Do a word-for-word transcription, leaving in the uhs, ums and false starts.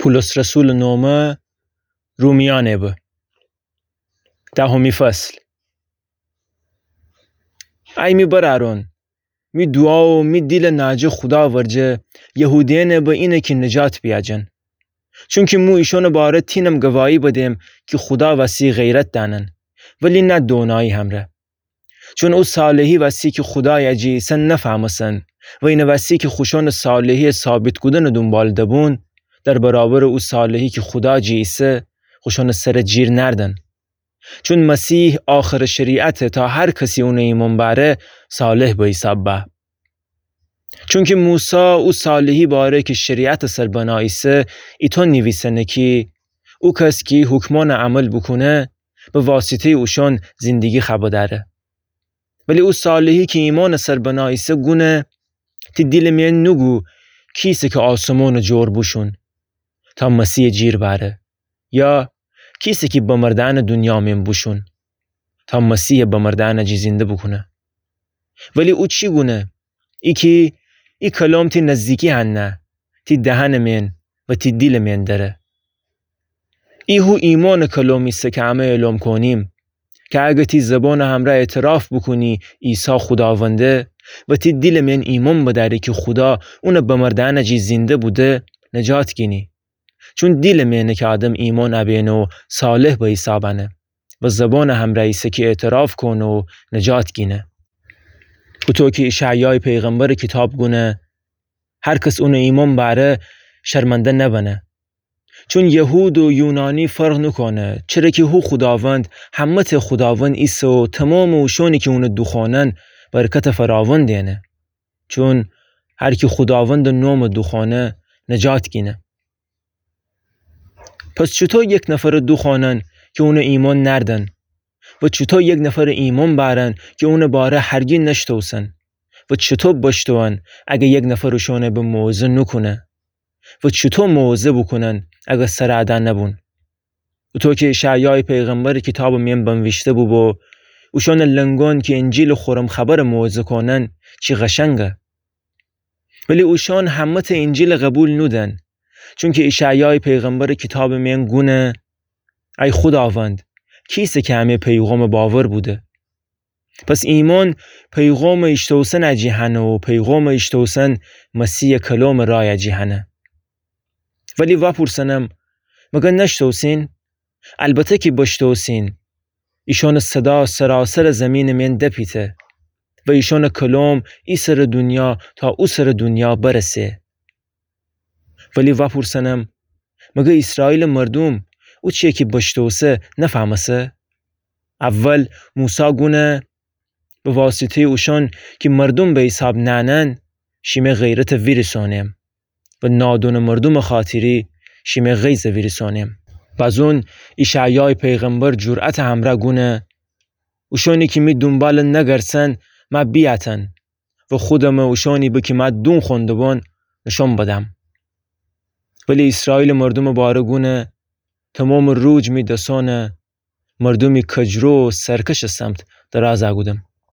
پولس رسولٚ نومه، رومیأنٚ به. دهمی فصل. ای می برأرأن، می دوعا و می دیلٚ ناجٚ خودا ورجه، یهودیأنٚ به اینه کی نجات بیاجن. چونکی مو ایشأنٚ باره تینم گواهی بدم کی خودا وسی غیرت دأنن، ولی نه دونایی همرأ. چون او صالحی وسی کی خودایٚ جی ایسه نفهمستن و اینٚ وسی کی خوشأنٚ صالحی‌یٚ ثابت کودنٚ دونبال دبون، در برابرٚ او صالحی کی خودا جی ایسه، خوشأنٚ سرَ جیر نأردن. چون مسیح آخرٚ شریعته تا هر کسی اونَ ایمأن بأره صالح به حیساب به. چونکی موسی او صالحی باره کی شریعتٚ سر بنا ایسه، ایطو نیویسنه کی او کس کی حکمأنَ عمل بوکونه، به واسطه‌یٚ اوشأن زندگی خوأ بدأره. ولی او صالحی کی ایمأنٚ سر بنا ایسه گونه، تی دیلٚ میأن نوگو کیسه کی آسمانٚ جور بوشون تا مسیحَ جیر بأره، یا کیسه کی بمردأنٚ دونیا میأن بوشون تا مسیحَ بمردأنٚ جی زنده بوکونه. ولی او چی گونه؟ ای کی ای کلام تی نزدیکی هنه، تی دهنٚ میأن و تی دیلٚ میأن دره. ای هو ایمأنٚ کلام ایسه کی امه اعلام کونیم، کی اگر تی زبانٚ همرأ اعتراف بوکونی عیسی خوداونده و تی دیلٚ میأن ایمأن بدأری کی خودا اونَ بمردأنٚ جی زنده بوده، نجات گینی. چون دیلٚ میأنه کی آدم ایمأن ابینه و صالح به حیساب انه و زبانٚ همرأ ایسه کی اعتراف کونه و نجات گینه. هوطو کی اشعیایٚ پیغمبرٚ کیتاب گونه، هر کس اونَ ایمأن بأره شرمنده نبنه. چون یهود و یونانی فرق نوکونه، چره کی هو خوداوند همه‌تأ خوداوند ایسه و تومامٚ اوشأنی کی اونَ دوخوانن برکتٚ فراوان دئنه. چون هر کی خوداوندٚ نومَ دوخوانه نجات گینه. پس چوطو یک نفرَ دوخوانن کی اونَ ایمأن نأردن؟ و چوطو یک نفرَ ایمأن بأرن کی اونٚ باره هرگی نشتوسن؟ و چوطو بشتوئن اگر یک نفر اوشأنَ به موعظه نوکونه؟ و چوطو موعظه بوکونن اگر سرَ ادا نبون؟ اوطو کی اشعیایٚ پیغمبرٚ کیتابٚ میأن بنویشته بوبو، اوشأنٚ لنگؤن کی انجیلٚ خورم خبرَ موعظه کونن، چی قشنگه. ولی اوشأن همه‌تأ انجیلَ قوبیل نودن. چونکی اشعیایٚ پیغمبرٚ کیتابٚ میأن گونه، ای خوداوند، کیسه کی امه پیغامَ باور بوده؟ پس ایمأن پیغامَ ایشتوسنٚ جی هنه و پیغامَ ایشتوسن مسیحٚ کلامٚ رأیٚ جی هنه. ولی وأپورسنم، مگر نشتوسین؟ البته کی بشتوسین. ایشأنٚ صدا سراسرٚ زیمینٚ میأن دپیته و ایشأنٚ کلام ای سرٚ دونیا تا او سرٚ دونیا برسه. ولی وأپورسنم، مگر ایسرائیلٚ مردوم او چیی کی بشتوسه نفهمسه؟ اول موسی گونه، به واسطه‌یٚ اوشأن کی مردوم به حیساب نأنن، شیمه غیرتَ ویریسؤنم و نادونٚ مردومٚ خاطری شیمه غیظَ ویریسؤنم. بازون اشعیایٚ پیغمبر جرأتٚ همرأ گونه، اوشأنی کی می دونبالَ نگرسن مأ بیأتن و خودمَ اوشأنی به کی مأ دون خوأنده‌بؤن نشأن بدم. ولی ایسرائیلٚ مردومٚ باره گونه، تومامٚ روج می دسأنَ مردومی کجرو و سرکشٚ سمت درازَ کودم.